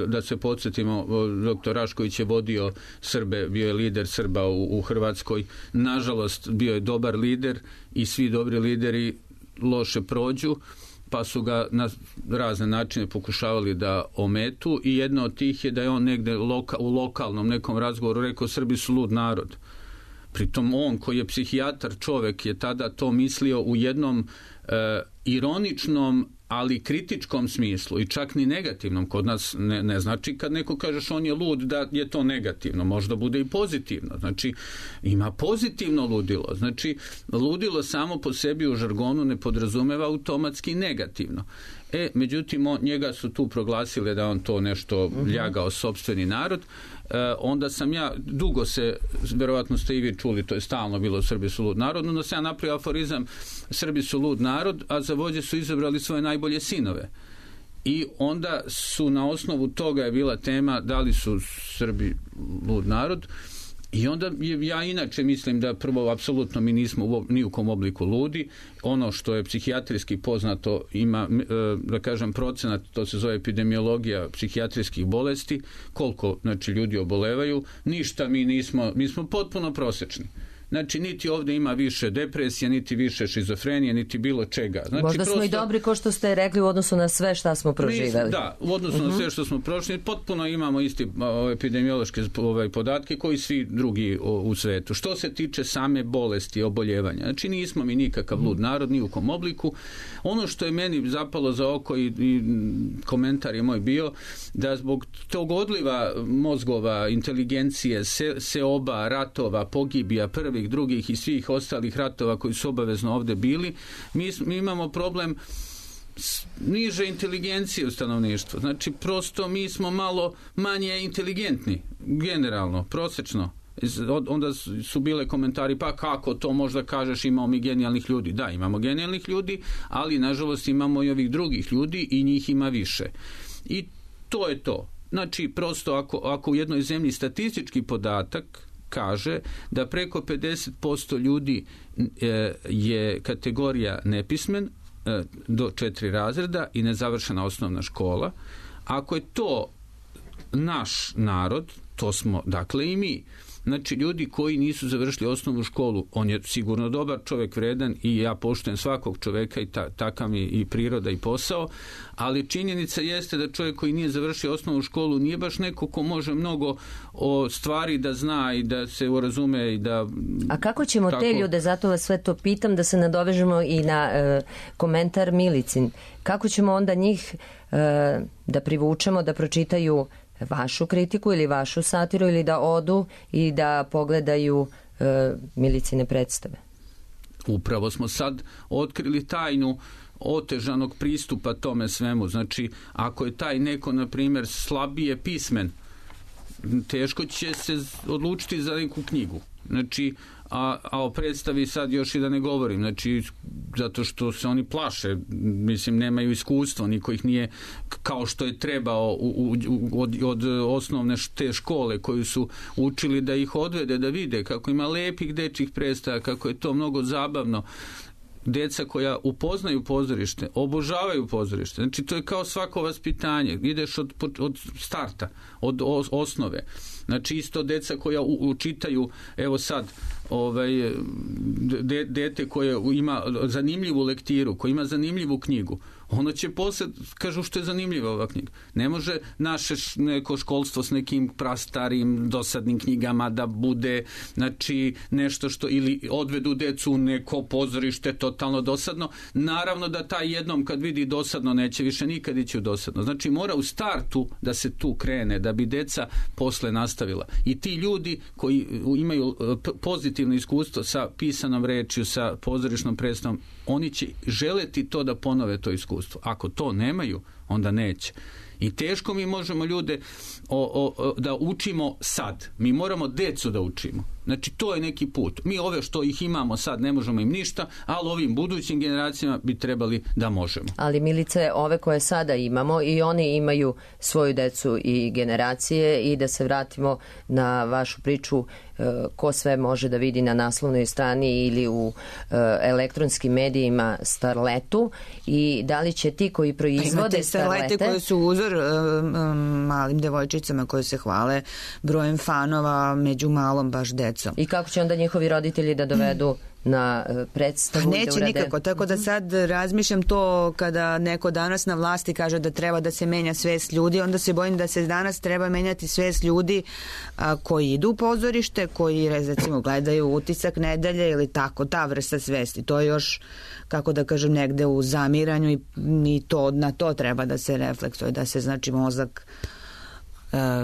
da se podsjetimo, doktor Rašković je vodio Srbe, bio je lider Srba u Hrvatskoj. Nažalost, bio je dobar lider i svi dobri lideri loše prođu, pa su ga na razne načine pokušavali da ometu i jedno od tih je da je on negde u lokalnom nekom razgovoru rekao Srbi su lud narod. Pritom on koji je psihijatar čovek je tada to mislio u jednom ironičnom, ali kritičkom smislu i čak ni negativnom. Kod nas ne znači kad neko kažeš on je lud da je to negativno, možda bude i pozitivno. Znači ima pozitivno ludilo. Znači ludilo samo po sebi u žargonu ne podrazumeva automatski negativno. Međutim, njega su tu proglasili da on to nešto ljagao sopstveni narod. Onda sam ja, dugo se, verovatno ste i vi čuli, to je stalno bilo Srbi su lud narod, onda sam ja napravio aforizam Srbi su lud narod, a za vođe su izabrali svoje najbolje sinove. I onda su na osnovu toga je bila tema da li su Srbi lud narod. I onda ja inače mislim da prvo apsolutno mi nismo ni u kom obliku ludi. Ono što je psihijatrijski poznato ima, da kažem, procenat, to se zove epidemiologija psihijatrijskih bolesti, koliko znači ljudi obolevaju, ništa mi smo potpuno prosječni. Znači, niti ovdje ima više depresije, niti više šizofrenije, niti bilo čega. Znači, možda smo i dobri, ko što ste rekli, u odnosu na sve šta smo proživeli. Da, u odnosu na sve što smo prošli, potpuno imamo isti epidemiološke podatke koji svi drugi u svetu. Što se tiče same bolesti i oboljevanja, znači nismo mi nikakav lud narod, ni u kom obliku. Ono što je meni zapalo za oko i komentar je moj bio, da zbog tog odliva mozgova, inteligencije, seoba, ratova, pogibija, prvih, drugih i svih ostalih ratova koji su obavezno ovdje bili, mi imamo problem niže inteligencije u stanovništvu. Znači, prosto mi smo malo manje inteligentni, generalno, prosečno. Onda su bile komentari, pa kako to možda kažeš, imamo mi genijalnih ljudi. Da, imamo genijalnih ljudi, ali nažalost imamo i ovih drugih ljudi i njih ima više. I to je to. Znači, prosto ako u jednoj zemlji statistički podatak kaže da preko 50% ljudi je kategorija nepismen do 4 razreda i nezavršena osnovna škola. Ako je to naš narod, to smo dakle i mi. Znači, ljudi koji nisu završili osnovnu školu, on je sigurno dobar čovjek, vredan i ja poštujem svakog čovjeka i takav mi i priroda i posao, ali činjenica jeste da čovjek koji nije završio osnovnu školu nije baš neko ko može mnogo o stvari da zna i da se urazume i da... A kako ćemo te ljude, zato vas sve to pitam, da se nadovežemo i na komentar Milicin, kako ćemo onda njih da privučemo da pročitaju vašu kritiku ili vašu satiru ili da odu i da pogledaju Milicine predstave? Upravo smo sad otkrili tajnu otežanog pristupa tome svemu. Znači, ako je taj neko, na primjer, slabije pismen, teško će se odlučiti za neku knjigu. Znači, a o predstavi sad još i da ne govorim, znači, zato što se oni plaše, mislim, nemaju iskustvo, niko ih nije, kao što je trebao od osnovne te škole koju su učili, da ih odvede, da vide kako ima lepih dečjih predstava, kako je to mnogo zabavno. Deca koja upoznaju pozorište, obožavaju pozorište. Znači, to je kao svako vaspitanje. Ideš od starta, od osnove. Znači, isto deca koja učitaju, evo sad, dete koje ima zanimljivu lektiru, koje ima zanimljivu knjigu, ono će posle, kažu što je zanimljiva ova knjiga. Ne može naše neko školstvo s nekim prastarim, dosadnim knjigama da bude, znači, nešto što, ili odvedu decu u neko pozorište totalno dosadno. Naravno da taj jednom kad vidi dosadno neće više nikad ići u dosadno. Znači, mora u startu da se tu krene, da bi deca posle nastavila. I ti ljudi koji imaju pozitivno iskustvo sa pisanom rečju, sa pozorišnom predstavom, oni će želeti to da ponove to iskustvo. Ako to nemaju, onda neće. I teško mi možemo ljude da učimo sad. Mi moramo decu da učimo. Znači, to je neki put. Mi ove što ih imamo sad ne možemo im ništa, ali ovim budućim generacijama bi trebali da možemo. Ali, Milice, ove koje sada imamo, i oni imaju svoju decu i generacije, i da se vratimo na vašu priču, ko sve može da vidi na naslovnoj strani ili u elektronskim medijima Starletu, i da li će ti koji proizvode Starlete koje su uzor malim devojčicama koje se hvale brojem fanova među malom baš decom. I kako će onda njihovi roditelji da dovedu na predstavu? Neće nikako, tako da sad razmišljam to kada neko danas na vlasti kaže da treba da se menja svest ljudi, onda se bojim da se danas treba menjati svest ljudi koji idu u pozorište, koji recimo gledaju Utisak nedelje ili tako, ta vrsta svesti. To je još, kako da kažem, negde u zamiranju i to, na to treba da se refleksuje, da se, znači, mozak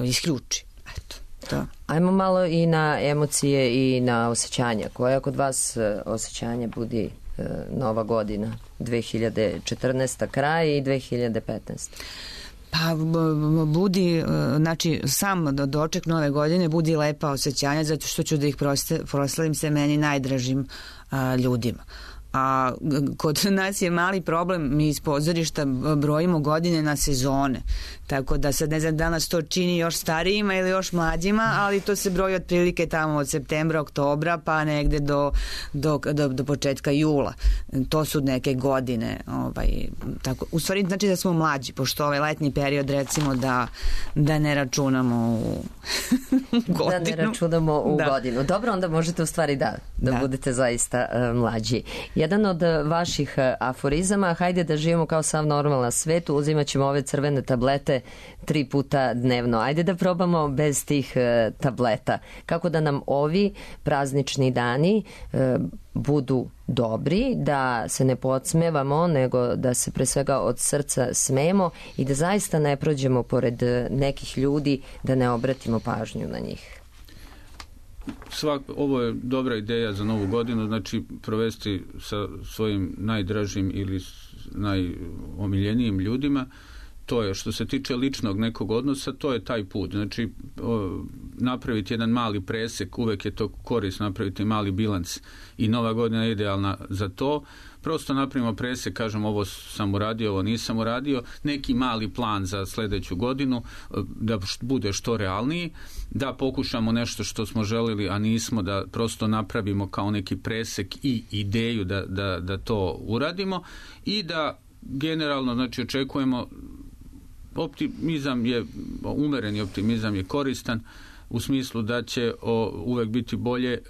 isključi. Eto. Da. Ajmo malo i na emocije i na osjećanja. Koja kod vas osjećanja budi nova godina? 2014. kraj i 2015. Pa budi, znači, sam doček nove godine budi lepa osjećanja, zato što ću da ih proslavim se meni najdražim ljudima. A kod nas je mali problem, mi iz pozorišta brojimo godine na sezone, tako da sad ne znam da nas to čini još starijima ili još mlađima, ali to se broji otprilike tamo od septembra, oktobra pa negde do početka jula. To su neke godine, tako. U stvari znači da smo mlađi, pošto ovaj letnji period recimo da ne računamo u godinu. Da ne računamo u godinu. Dobro, onda možete u stvari da budete zaista mlađi. Jedan od vaših aforizama, hajde da živimo kao sav normalan svet, uzimat ćemo ove crvene tablete 3 puta dnevno. Ajde da probamo bez tih tableta. Kako da nam ovi praznični dani budu dobri, da se ne podsmevamo, nego da se pre svega od srca smemo i da zaista ne prođemo pored nekih ljudi, da ne obratimo pažnju na njih. Ovo je dobra ideja za novu godinu, znači provesti sa svojim najdražim ili najomiljenijim ljudima. To je, što se tiče ličnog nekog odnosa, to je taj put. Znači, napraviti jedan mali presek, uvek je to korisno napraviti mali bilans i nova godina je idealna za to. Prosto napravimo presek, kažem ovo sam uradio, ovo nisam uradio, neki mali plan za sledeću godinu, da bude što realniji, da pokušamo nešto što smo želeli, a nismo, da prosto napravimo kao neki presek i ideju da to uradimo i da generalno, znači, očekujemo optimizam je, umereni optimizam je koristan u smislu da će uvek biti bolje,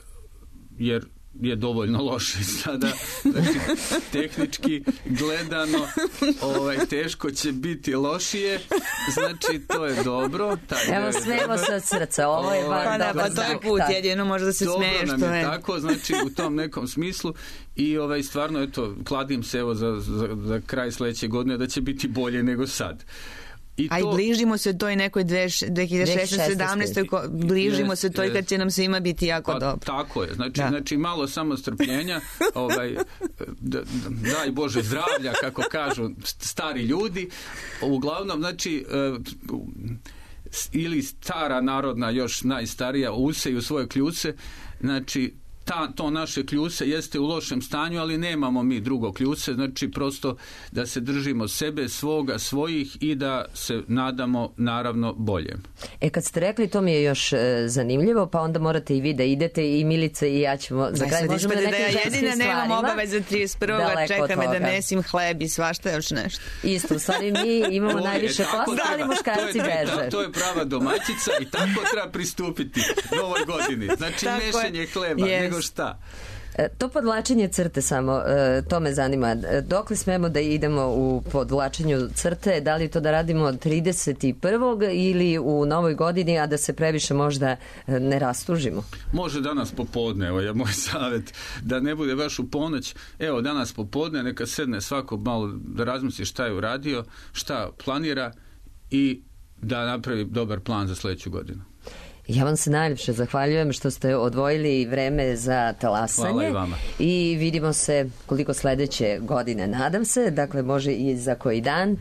jer je dovoljno loše sada, znači tehnički gledano teško će biti lošije, znači to je dobro. Evo, smijemo se od srca, ovo je van dobar znak. To je put, jedino može da se smiješ. Dobro nam je tako, znači u tom nekom smislu i stvarno, eto, kladim se evo za kraj sledeće godine da će biti bolje nego sad. A i bližimo se toj nekoj 2016-17, bližimo se toj kad će nam svima biti jako dobro. Tako je, znači malo samo strpljenja, daj Bože zdravlja, kako kažu stari ljudi. Uglavnom, znači, ili stara narodna, još najstarija, useju svoje kljuse, znači, to naše kljuse jeste u lošem stanju, ali nemamo mi drugo kljuse, znači prosto da se držimo sebe, svoga, svojih i da se nadamo naravno boljem. Kad ste rekli, to mi je još zanimljivo, pa onda morate i vi da idete i Milica i ja ćemo za kraj možemo da nekim ženskim stvarima. Jedina nemam obaveza 31. čeka me da mesim hleb i svašta još nešto. Isto, u stvari mi imamo najviše posla, ali muškarci beže. To je prava domaćica i tako treba pristupiti novoj godini. Znači mešanje hleba, nego šta? To podvlačenje crte samo, to me zanima. Dokle smemo da idemo u podvlačenju crte? Da li to da radimo 31. ili u novoj godini, a da se previše možda ne rastužimo? Može danas popodne, evo je moj savjet, da ne bude baš u ponoć. Evo danas popodne neka sedne svako malo da razmisli šta je uradio, šta planira i da napravi dobar plan za sledeću godinu. Ja vam se najljepše zahvaljujem što ste odvojili vreme za talasanje. Hvala i vama. I vidimo se koliko sledeće godine, nadam se, dakle može i za koji dan.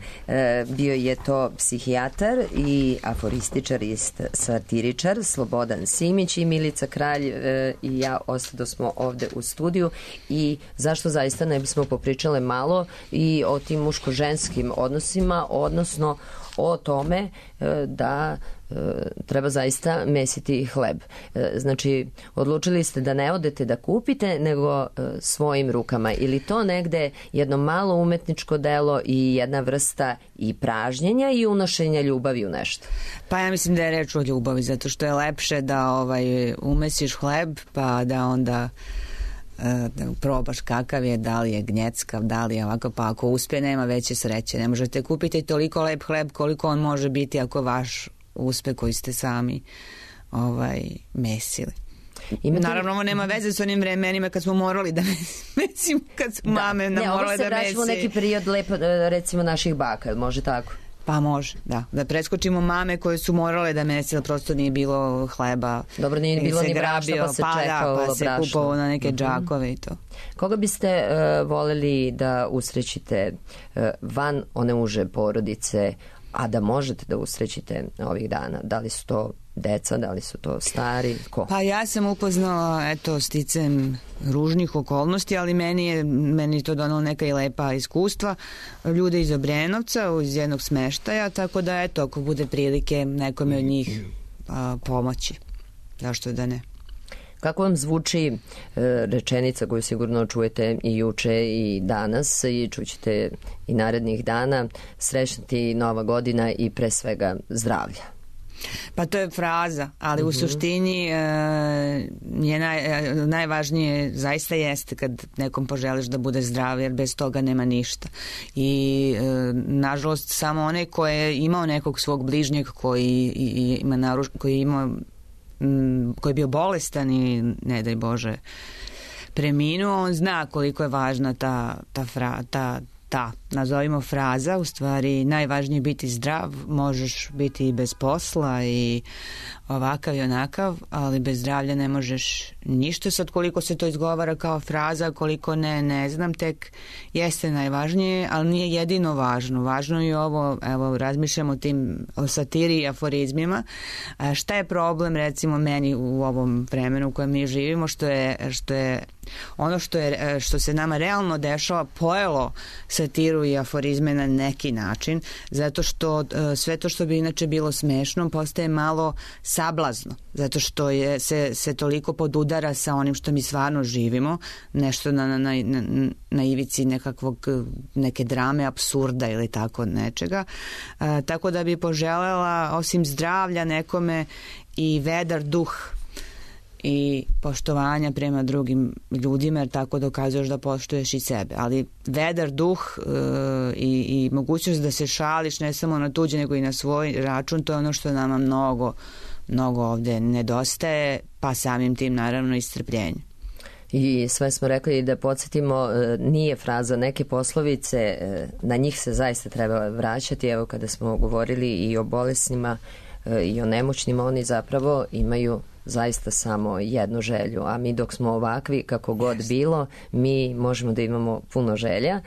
Bio je to psihijatar i aforističar i satiričar Slobodan Simić i Milica Kralj i ja ostado smo ovde u studiju i zašto zaista ne bismo popričale malo i o tim muško-ženskim odnosima, odnosno o tome da treba zaista mesiti hleb. Znači, odlučili ste da ne odete da kupite, nego svojim rukama. Ili to negde jedno malo umetničko delo i jedna vrsta i pražnjenja i unošenja ljubavi u nešto? Pa ja mislim da je reč o ljubavi, zato što je lepše da umesiš hleb, pa da onda da probaš kakav je, da li je gnjeckav, da li je ovako, pa ako uspe nema veće sreće. Ne možete kupiti toliko lep hleb koliko on može biti ako vaš uspe koji ste sami mesili. Naravno, ovo nema veze s onim vremenima kad smo morali da mesimo, kad su mame nam morale da mesi. Ovo se vraćamo neki period lepo, recimo naših baka, može tako? Pa može, da. Da preskočimo mame koje su morale da mesi, ali prosto nije bilo hleba. Dobro, nije bilo ni brašna, pa se čekalo brašno. Pa se kupovao na neke džakove i to. Koga biste voleli da usrećite van one uže porodice, a da možete da usrećite ovih dana? Da li su to deca, da li su to stari, ko? Pa ja sam upoznala, sticem ružnih okolnosti, ali meni to donalo neka i lepa iskustva. Ljude iz Obrenovca, iz jednog smeštaja, tako da ako bude prilike nekome od njih pomoći. Zašto da ne? Kako vam zvuči rečenica koju sigurno čujete i juče i danas i čućete i narednih dana, srećna ti nova godina i pre svega zdravlja? Pa to je fraza, ali u suštini je najvažnije zaista jeste kad nekom poželiš da bude zdrav, jer bez toga nema ništa. I nažalost samo onaj ko je imao nekog svog bližnjeg koji je bio bolestan i ne daj Bože preminuo, on zna koliko je važna ta nazovimo fraza, u stvari najvažnije biti zdrav, možeš biti i bez posla i ovakav i onakav, ali bez zdravlja ne možeš ništa. Sad koliko se to izgovara kao fraza, koliko ne znam, tek jeste najvažnije, ali nije jedino važno. Važno je ovo, evo razmišljamo o satiri i aforizmima. Šta je problem recimo meni u ovom vremenu u kojem mi živimo, što je ono što se nama realno dešava pojelo satiru i aforizme na neki način, zato što sve to što bi inače bilo smešno postaje malo sablazno, zato što se toliko podudara sa onim što mi stvarno živimo, nešto na ivici neke drame, apsurda ili tako nečega. Tako da bi poželela osim zdravlja nekome i vedar duh i poštovanja prema drugim ljudima, jer tako dokazuješ da poštuješ i sebe. Ali vedar duh i mogućnost da se šališ ne samo na tuđe nego i na svoj račun, to je ono što nama mnogo ovde nedostaje, pa samim tim naravno i strpljenje. I sve smo rekli da podsjetimo, nije fraza neke poslovice, na njih se zaista treba vraćati. Evo kada smo govorili i o bolesnima i o nemoćnima, oni zapravo imaju zaista samo jednu želju, a mi dok smo ovakvi, kako god bilo, mi možemo da imamo puno želja.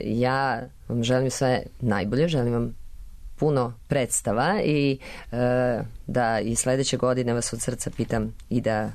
Ja vam želim sve najbolje, želim vam puno predstava i da i sledeće godine vas od srca pitam i da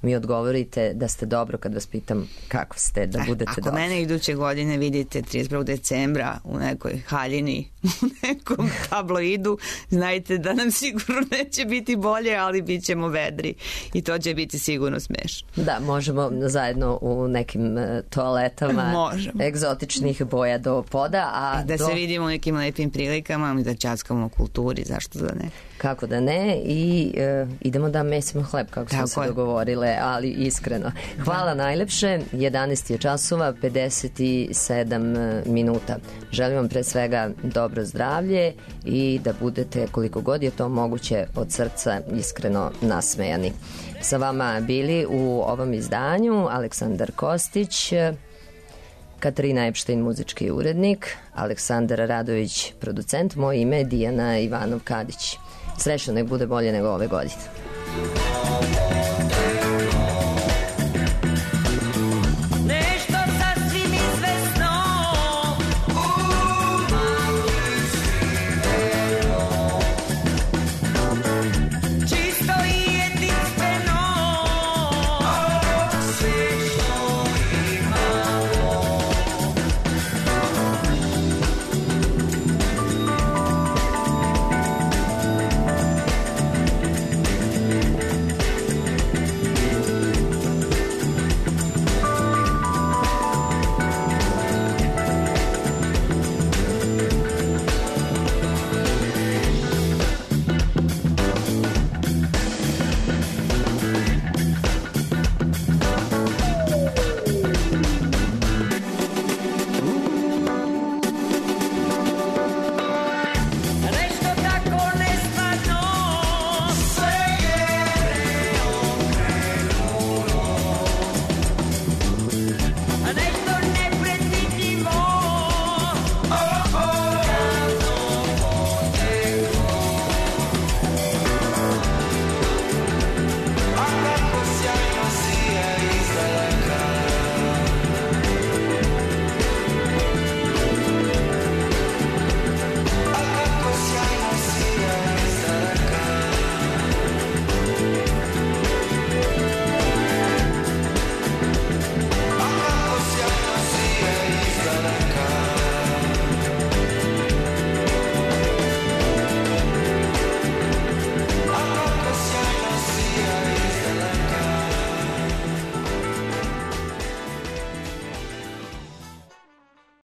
mi odgovorite da ste dobro kad vas pitam kako ste, da budete ako dobro. Mene iduće godine vidite 31. decembra u nekoj haljini, u nekom tabloidu, znajte da nam sigurno neće biti bolje, ali bit ćemo vedri i to će biti sigurno smešno. Da, možemo zajedno u nekim toaletama egzotičnih boja do poda. A da se vidimo u nekim lepim prilikama i da ćaskamo o kulturi, zašto da ne? Kako da ne, i idemo da mesimo hleb, kako smo se dogovorile, ali iskreno. Hvala najlepše, 11 je časova, 57 minuta. Želim vam pre svega dobro zdravlje i da budete, koliko god je to moguće, od srca iskreno nasmejani. Sa vama bili u ovom izdanju Aleksandar Kostić, Katarina Epštajn, muzički urednik, Aleksandar Radović, producent, moje ime je Dijana Ivanov-Kadić. Srećno, nek bude bolje nego ove godine.